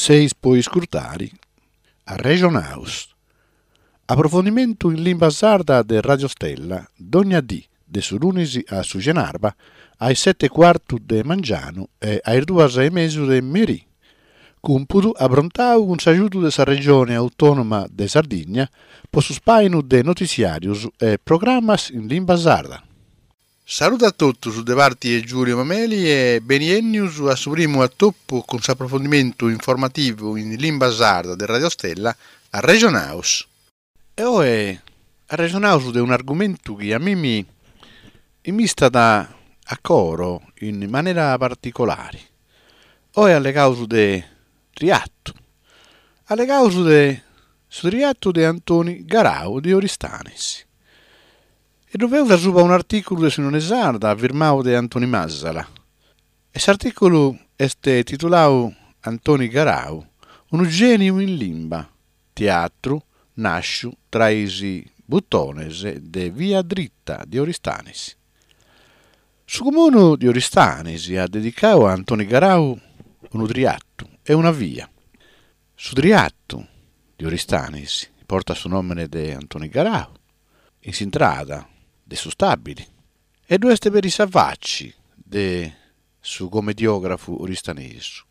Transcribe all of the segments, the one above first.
Seis po iscurtari Arrexonaus. Aprofondimentu in limba sarda de Radio Stella dogna dì de su lunis a su cenarba a is seti e cuartu de mangianu e a is duas e mesu de merì. Cumpudu aprontau cun s'agiudu de sa Regione Autònoma de Sardigna po su spàinu de notitziàrius e programas in limba sarda. Saludu a totus de parti 'e Giulio Mameli e beni 'ennius a su primu atopu cun s'aprofondimentu informativu in limba sarda de Radio Stella Arrexonaus. E oe arrexonaus de un'argumentu chi a mimi m'istat a coro in manera particolari. Oe allegaus de triatu. Allegaus de su triatu de Antoni Garau de Oristanis. E ddu feus asuba un'artìculu de s'Unione Sarda firmau de Antoni Masala. E s'artìculu est titulau Antoni Garau, unu gèniu in limba, teatru nàsciu tra is butones de Via Dritta de Oristanis. Su Comunu de Oristanis at dedicau a Antoni Garau unu triatu e una via. Su triatu de Oristanis portat su nòmene de Antoni Garau. in s'intrada de su stabili e ddu est peri sa faci de su comediografu oristanesu,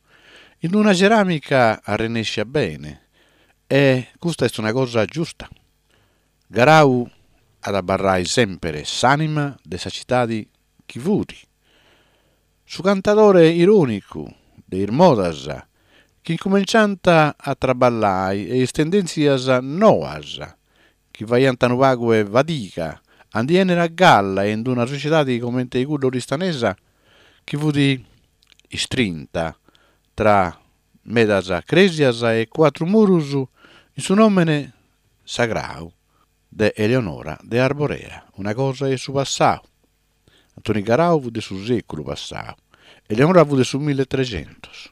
in una ceramica arrennescia bene e custa est una cosa giusta. Garau at abarrai sempere s'anima de sa citadi chi fut. Su cantadore ironicu de is modas chi incumenciant a traballai e is tendentzias noas chi faiant unu pagu 'e fadiga a ndi 'ennere a galla in d'una sociedadi comente cudda oristanesa chi fut istrinta tra medas cresias e cuatru murus in su nomene sagrau de Eleonora de Arborea, una cosa 'e su passau. Antoni Garau fut de su sèculu passau, Eleonora fut de su milletregentos.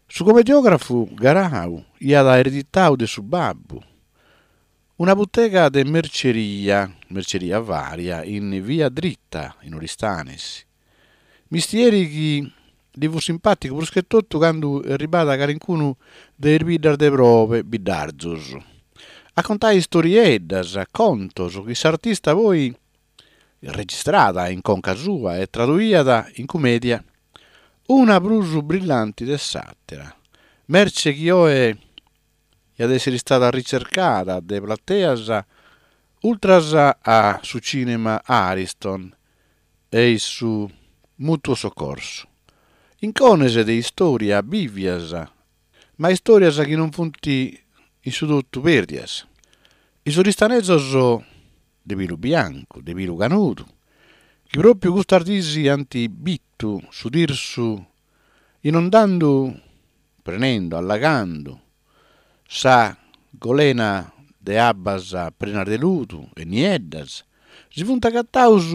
Su comediografu Garau iat ereditau de su babbu una butega de merceria, merceria varia, in via Dritta, in Oristanis. Mistieri chi ddi fut simpàticu prus che totu candu erribàt calincunu de is biddas de probe, biddarzos, a contai istorieddas, contos chi s'artista poi registràt in conca sua e traduiat in cumèdia, una prus brillanti de s'àtera, merce chi oe iat èssere istada ricercada de plateas ultras a su cìnema Ariston e su Mutuo Soccorso. Incones de istòria bìvias, ma istòrias chi non funt in su totu pèrdias. Is oristanesos de pilu biancu, de pilu canudu, chi pròpiu custas diis ant bitu su Tirsu inundandu, prenendu, allagandu, sa golena de abbas prenas de ludu e nieddas, si funt agataus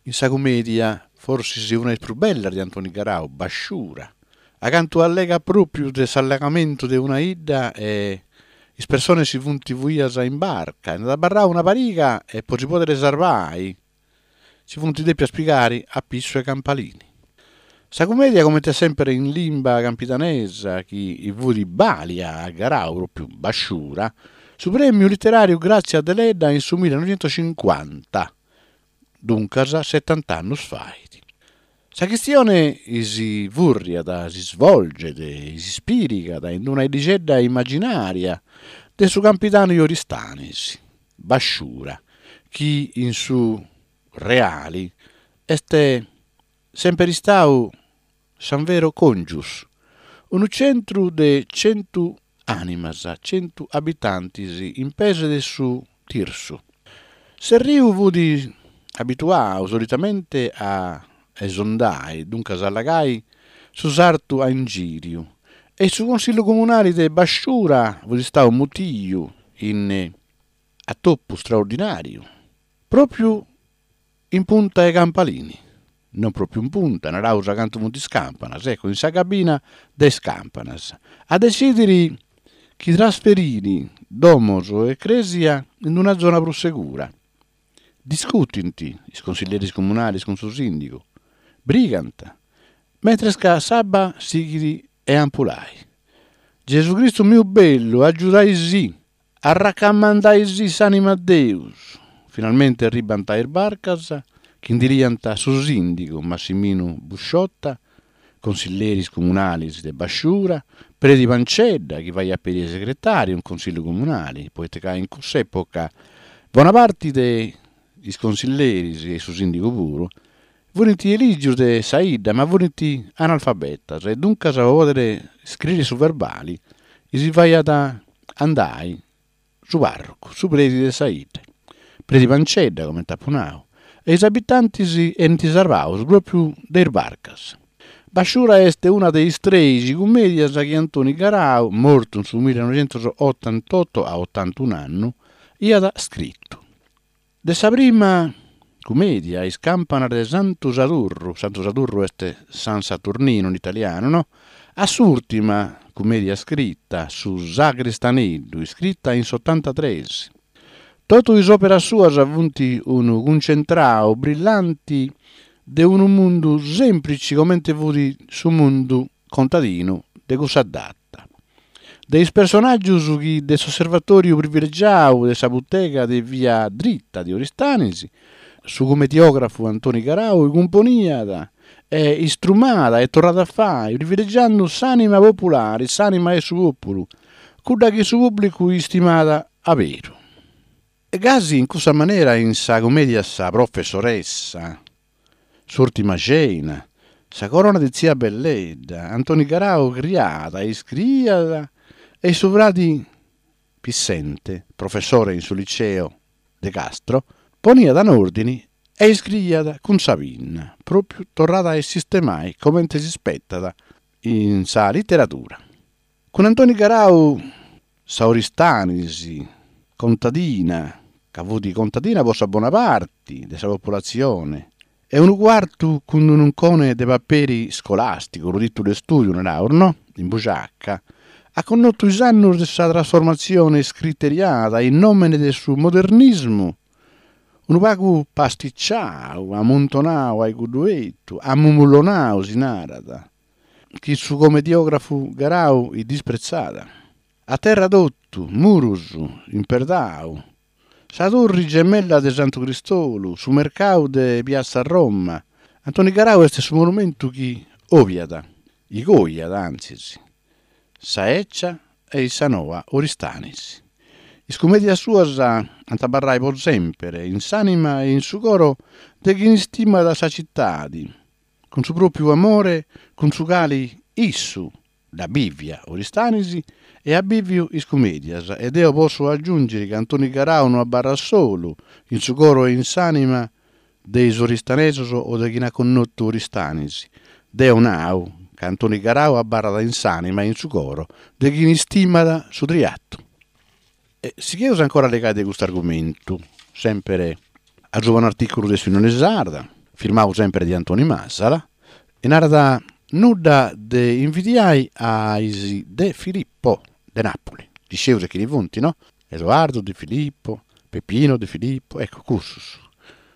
in sa cumèdia, forsis una de is prus bellas de Antoni Garau, Basciura, acantu allegat pròpiu de s'allagamentu de una 'idda e is persones si funt fuias in barca e nd'at abarrau una pariga e po si pòdere sarvai si funt dèpias pigare a pissu 'e campalini. Sa cumèdia comente semper in limba campidanesa chi fut bàlia a Garau pròpiu Basciura, su prèmiu literàriu Grazia Deledda in su millenoixentocincuanta, duncas setant'annus fait. Sa chistione si furriat, si svolget, si ispirigat in una 'iddixedda immaginaria de su Campidanu 'e Oristanis, Basciura, chi in su reali est semper istau San Vero Congius, unu centru de centu ànimas, centu abitantis in pes de su Tirsu. S'erriu fut abituau solitamente a esondai, duncas a allagai, su sartu a ingìriu e su Consillu Comunali de Basciura fut istau mutiu in atopu straordinàriu pròpiu In punta 'e Campalini, non pròpiu in punta, naraus acantu funt is campanas, ecco, in sa cabina de is campanas, a detzidiri chi trasferiri domos e crèsia in una zona prus segura. Discutint is consilleris comunalis cun su sìndigu, brigant, mentres ca s'abba sighit 'e ampulai. Gesu Cristu miu bellu, agiudaisì, arracamandaisì s'anima a Deus. Finalmente arribant is barcas chi ndi liant su sìndigu Massiminu Busciotta, consilleris comunalis de Basciura, predi Pancedda chi faiat peri 'e segretàriu in Consillu Comunali, poita ca in cuss'època bona parti de is consilleris e su sìndigu puru furint elìgius de sa 'idda ma furint analfabetas e duncas po pòdere scriri su verbali si faiat andai su parrocu, su predi de sa 'idda, predi Pancedda comente apu nau, e is abitantis 'enint sarvaus pròpriu de is barcas. Basciura est una de is treixi cummèdias chi Antoni Garau, mortu in su millinoixentosotantoto a otantun'annu, iat scritu. De sa prima cumèdia, Is campanas de Santu Sadurru, Santu Sadurru est San Saturnino in italianu, no? A s'ùrtima cumèdia scrita, Su Sagristaneddu, iscrita in s'otantatres. Totu is òperas suas funt unu cuncentrau brillanti de unu mundu sèmplici comente fut su mundu contadinu de cussa data. De is personàgius chi de s'osservatòriu privilegiau de sa butega de via Dritta de Oristanis, su cumediògrafu Antoni Garau cumponiat e istrumàt e torràt a fai, privilegiandu s'ànima populari, s'ànima 'e su pòpulu, cudda chi su pùblicu istimàt aberu. E gasi in cussa manera in sa cumèdia Sa professoressa, S'ùrtima cena, Sa corona de tzia Belledda, Antoni Garau criat e iscriiat e su fradi Pissente, professore in su liceo de Castro, poniat in òrdini e iscriiat cun sa pinna, pròpiu torrada a sistemai comente si spetat in sa literadura. Cun Antoni Garau sa Oristanis contadina, ca fut contadina po sa bona parti de sa populatzione, e unu cuartu cun unu uncone de paperi scolàsticu, unu tìtulu de stùdiu naraus, no? In buciaca, at connotu is annus de sa trasformatzione scriteriada in nòmene de su modernismu, unu pagu pasticciau, amuntonau a cuddu 'etu, amumullonau si narat, chi su comediografu Garau dispretzat. A terra totu, murus, imperdau, sa turri gemella de Santu Cristolu, su mercau de Piazza Roma. Antoni Garau est su monumentu chi obiat, igoiat antzis, sa 'ecia e sa noa Oristanis. Is cumèdias suas ant abarrai po semper in s'ànima e in su coro de chini istimat sa citadi, cun su pròpiu amore cun su cali issu dd'at bìvia Oristanis e at bìviu is cumèdias, e deo possu agiùngiri ca Antoni Garau no abarrat solu in su coro e in s'ànima de is oristanesos o de chini at connotu Oristanis, deo nau ca Antoni Garau abarrat in s'ànima e in su coro de chini istimat su triatu. E sigheus ancora a allegai de custu argumentu, semper asuba un'artìculu de s'Unione Sarda, firmau semper de Antoni Masala, e narat nudda de invidiai a is De Filippo de Napoli, dd'iscieus chini funt, no? Edoardo De Filippo, Peppino De Filippo, ecco cussus.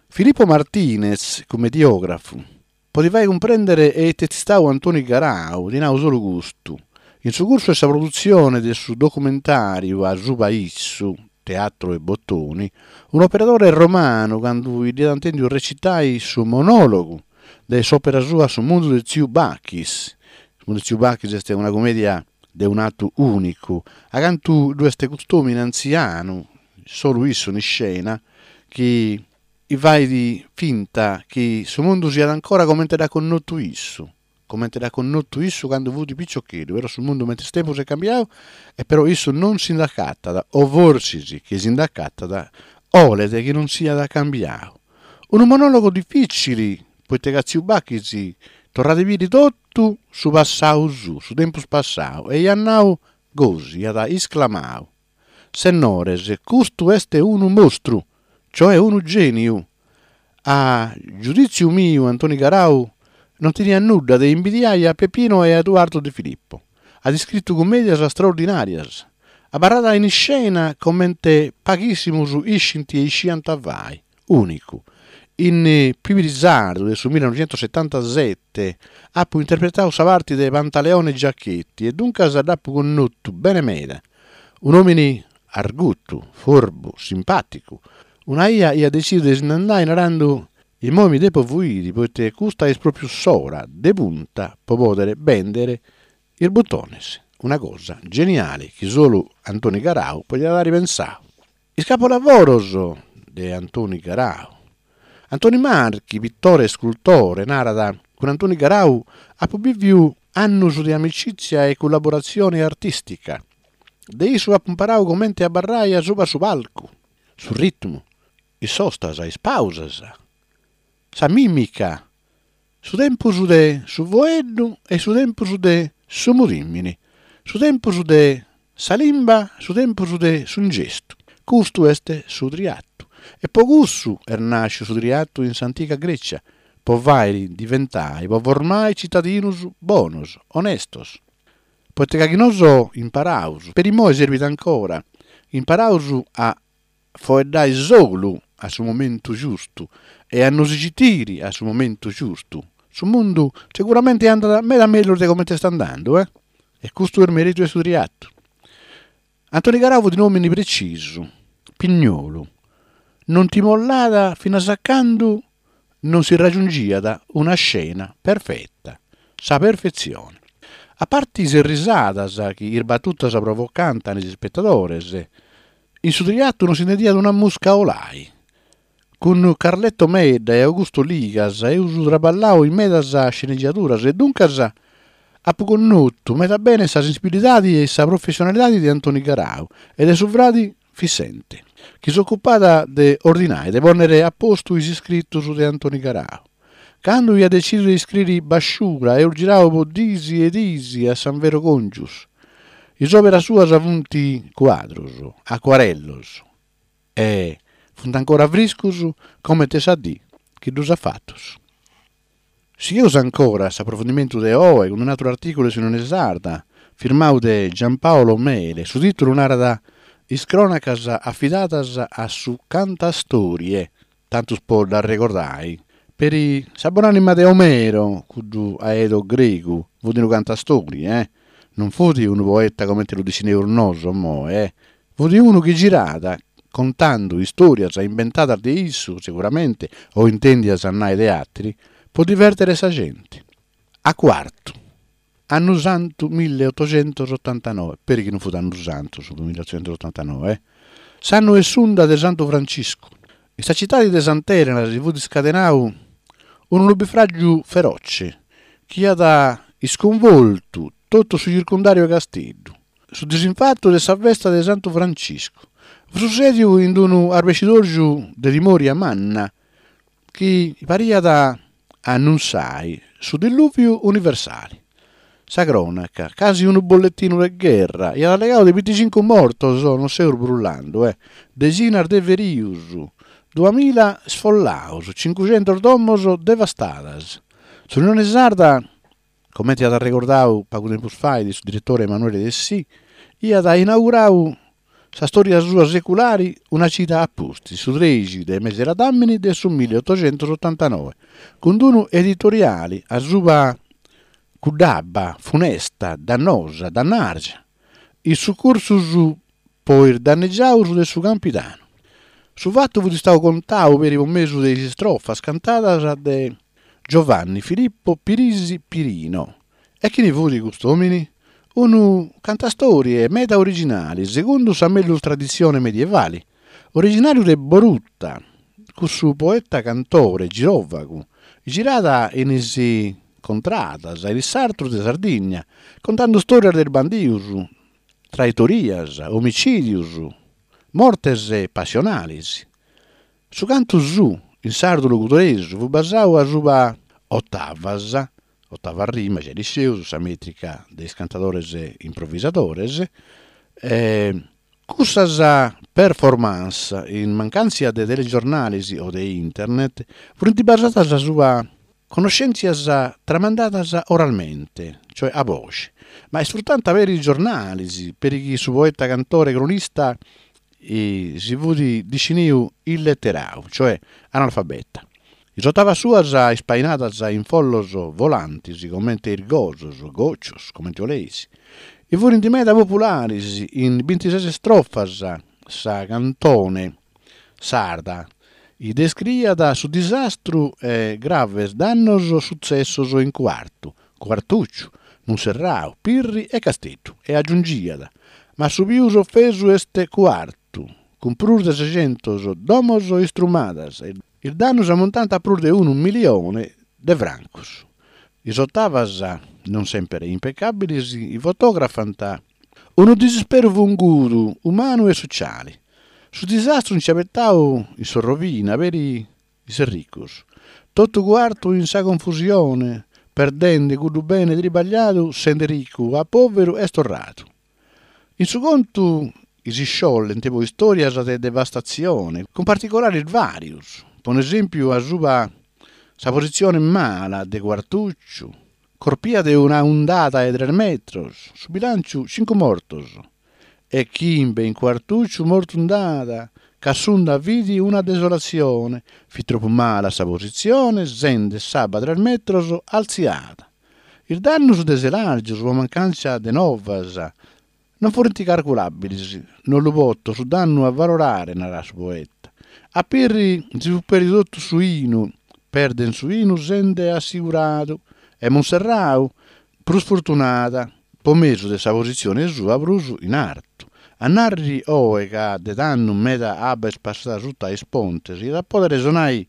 Filippo Martinez, cumediògrafu, Po ti fai cumprèndere ite est istau Antoni Garau, ti nau solu custu, in su cursu 'e sa produtzione de su documentàriu asuba issu, Teatro e Bottoni, un'operadore romanu candu dd'iat intèndiu recitai su monòlogu de s'òpera sua Su mundu de tziu Bachis, Su mundu de tziu Bachis est una cumèdia de un'atu ùnicu, acantu ddu est cust'òmine antzianu, solu issu in iscena, chi fait finta chi su mundu siat ancora comente dd'at connotu issu, comente dd'at connotu issu candu fut piciocheddu, però su mundu mentris tempus est cambiau e però issu non si nd'acatat, o forsis chi si nd'acatat 'olet chi non siat cambiau. Unu monologu dificili, poita ca tziu Bachis torrat a biri totu su passau suu, su tempus passau, e iat nau gosi, iat isclamau. Sennores, custu est unu mostru, cioè unu gèniu. A giudìtziu miu Antoni Garau non teniat nudda de imbidiai a Peppino e a Eduardo De Filippo. At iscritu cummèdias straordinàrias. Abarrat in iscena comente paghìssimus iscint e isciant fai. Ùnicu. In Pibirisardu de su millenoixentosetantasete apu interpretau sa parti de Pantaleone Giachetti e duncas dd'apu connotu bene meda. Un'òmini argutu, forbu, simpàticu. Una 'ia iat detzidiu de si nd'andai narandu Immoi mi depo fuiri poita custa est pròpriu s'ora de punta po pòdere bèndere is butones, una cosa geniale chi solu Antoni Garau podiat àere pensau. Is capolavoros de Antoni Garau. Antoni Marchi, pitore e scultore, narat, Cun Antoni Garau apu bìviu annus de amicìtzia e collaboratzione artìstica. De issu apu imparau comente abarrai asuba su palcu, su ritmu, is sostas, is pausas, sa mìmica, su tempus de su foeddu e su tempus de su mudìmini, su tempus de sa limba, su tempus de su gestu. Custu est su triatu. E po cussu est nàsciu su triatu in s'antiga Grècia, po fàiri diventai, po formai citadinus bonos, onestos. Poita ca chi nosu imparaus, peri immoi serbit ancora, imparaus a foeddai solu a su momentu giustu e a nosi citiri a su momentu giustu, su mundu seguramenti andat meda mellus de comente est andandu, eh! E custu est meritu 'e su triatu. Antoni Garau fut un'omini precisu, pignolu, non ti mollat finas a candu non si ragiungiat una scena perfeta, sa perfetzione. A parti is risadas chi is batutas provocant in is ispetadores, In su triatu non s'intendiat una musca 'olai. Cun Carletto Medda e Augusto Ligas eus traballau in medas scenegiaduras e duncas apu connotu meda bene sa sensibilidadi e sa professionalidadi de Antoni Garau e de su fradi Fissente, chi s'ocupat de ordinai, de pònnere a postu is iscritus de Antoni Garau. Candu iat detzidiu de iscriri Basciura eus girau po dis e dis a San Vero Congius. Is òberas suas funt cuadrus, acuarellos e funt ancora friscus comente sa dì chi ddus at fatus. Sigheus ancora s'aprofundimentu de oe cun un'àteru artìculu de s'Unione Sarda, firmau de Giampaolo Mele. Su tìtulu narat Is crònacas afidadas a su cantastorie tantus po dd'arregordai, peri sa bon'anima de Omero, cuddu aedo gregu, fut unu cantastori, eh! Non fut unu poeta comente lu dissineus nosu immoe, eh! Fut unu chi giràt contandu istorias imbentadas de issu, seguramente, o intendias nai de ateri, po divertere sa genti. A Cuartu, annu santu milleotoxentosotantanoi, peri chi non fut annu santu su milleotoxentosotantanoi, eh, s'annu 'e s'unda de Santu Franciscu. In sa citadi de Sant'Elena si fut iscadenau unu nubifràgiu feroce chi iat iscunvoltu totu su circundàriu 'e Casteddu. Su disinfatu de sa festa de Santu Franciscu fut sussèdiu in unu arbescidòrgiu de timòria manna chi pariat annunsai su dillùviu universali. Sa crònaca, casi unu bolletinu de gherra, iat allegau de binticincu mortos, non seus brullandu, eh, dexinas de ferius, duamilla sfollaus, cincuxentus domos devastadas. S'Unione Sarda Comente at arregordau pagu tempus fait su diretore Emanuele Dessì, iat inaugurau sa stòria sua seculari una cida a pustis, su trexi de mesi ladàmini de su milliotoxentosotantanoi, cun d'unu editoriali asuba cudd'abba funesta, dannosa, dannàrgia, is sucursus po is dannegiaus de su Campidanu. Su fatu fut istau contau peri po mesu de is istrofas cantadas de Giovanni Filippo Pirisi Pirino. E chini fut cust'omini? Unu cantastorie meda originali, segundu sa mellus traditzione medievali. Originariu de Boruta, cussu poeta cantore girovagu, girat in is contradas, in is sartus de Sardigna, contandu storias de is bandius, traitorias, omicìdius, mortes passionalis. Su cantu suu, in sardu logudoresu, fut basau asuba otavas, otava rima, giai dd'iscieus, sa mètrica de is cantadores improvisadores, e cussas performance, in mancàntzia de telegiornalis o de internet, funt basadas asuba Connoschèntzias tramandadas oralmente, cioè a boxi, ma isfrutant peri is giornalis, peri chi su poeta cantore cronista si fut disciniu illetterau, cioè analfabeta. Is otavas suas ispainadas in follos volantis comente is gosos, goccios, comente 'oleis, i furint meda popularis in bintises strofas sa cantone sarda i descriiat su disastru e graves dannos sutzessos in Cuartu, Cuartucciu, Munserrau, Pirri e Casteddu e agiungiat, ma su pius ofesu est Cuartu, cun prus de sescentos domos istrumadas, is dannos ammontant a prus de unu milione de francos. Is otavas, non semper impecàbiles, fotografant unu disisperu fungudu, umanu e sociale. Su disastru nch'at betau in s'orrovina peri is ricos. Totu Cuartu in sa confusione, perdende cuddu bene tribagliadu, sende ricu a pòveru est torradu. In su contu chi si sciollent poi istòrias de devastatzione, cun particulares vàrios, po un'esèmpiu asuba sa positzione mala de Cuartùciu, corpia de una undada 'e tres metros, su bilànciu cincu mortos e chimbe in Cuartùciu mortu nd'at, ca s'unda fit una desolatzione, fit tropu mala sa positzione sende s'abba tres metros altziada. Is dannus de Selargius po mancàntzia de novas non furint carculàbilis, non lu poto su dannu avalorare, narat su poeta. A Pirri si fut pèrdidu totu su 'inu, perden su 'inu sende assiguradu, e Monserrau, prus fortunada, po mesu de sa positzione sua prus in artu. A nàrriri oe ca de tando meda abba est passada suta a is pontes iat a pòdere sonai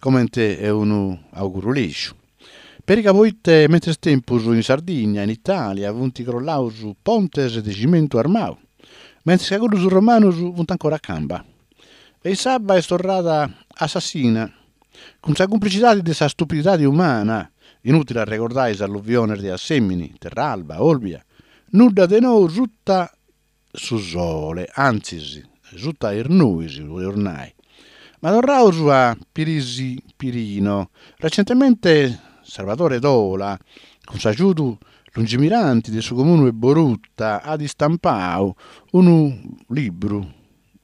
comente unu auguru lègiu. Peri ca poite mentres tempus in Sardigna e in Italia funt crollaus pontes de cimentu armau, mentres ca cuddus romanus funt ancora a camba. E s'abba est torrada assassina, cun sa cumplicidadi de sa stupididadi umana, inutili a arregordai is alluviones de Assemini, Terralba, Olbia, nudda de nou suta su sole, antzis, suta is nuis, podeus nai. Ma torraus a Pirisi Pirino. Recentemente Sarvadore Tola, cun s'agiudu lungimiranti de su Comunu 'e Boruta, at istampau unu libru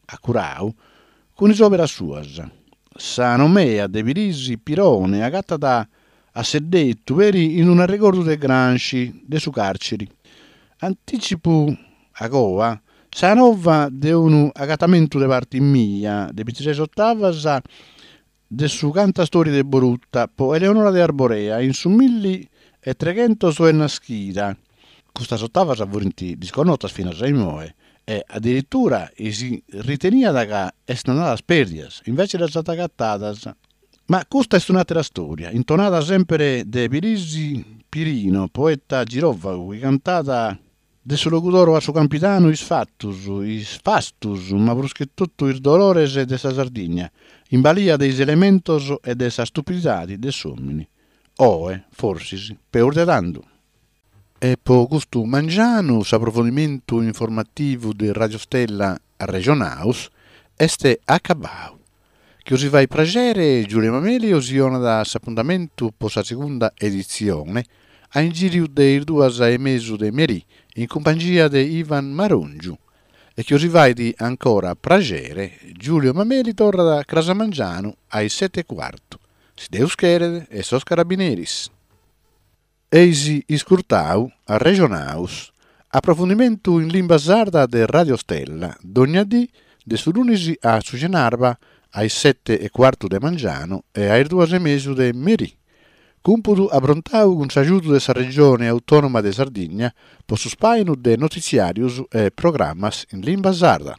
acurau cun is òberas suas. Sa nomea de Pirisi Pirone agatat asseddetu peri in un'arregordu de Gramsci de su càrceri. Antìtzipu agoa sa nova de unu agatamentu de parti mia de bintises otavas de su cantastori de Boruta po Eleonora de Arborea in su milli e treghentos est naschida. Custas otavas furint disconnotas finas a immoe e adiritura si riteniat ca essint andadas pèrdias, invece ddas ant agatadas. Ma custa est un'àtera stòria, intonada sèmpere de Pirisi Pirino, poeta giròvagu chi cantat de su Logudoro a su Campidanu is fatus, is fastus, ma prus che totu is dolores de sa Sardigna, in balia de is elementos e de sa stupididadi de s'òmini. Oe, forsis, peus de tandu. E po custu mangianu s'aprofondimentu informativu de Radio Stella Arrexonaus est acabau. Chi 'osi fait praxere, Giulio Mameli 'osi 'onat s'apuntamentu po sa segunda editzione a ingìriu de is duas e mesu de merì in cumpangia de Ivan Marongiu. E chi 'osi fait ancora praxere, Giulio Mameli torrat cras a mangianu a is sete e cuartu, si Deus cheret e sos carabineris. Eis iscurtau Arrexonaus, aprofundimentu in limba sarda de Radio Stella, dogna dì de su lunis a su cenarba a is sete e cuartu de mangianu e a is duas e mesu de merì. Cumpudu aprontau cun s'agiudu de sa Regione Autònoma de Sardigna po su spàinu de notitziàrius e programas in limba sarda.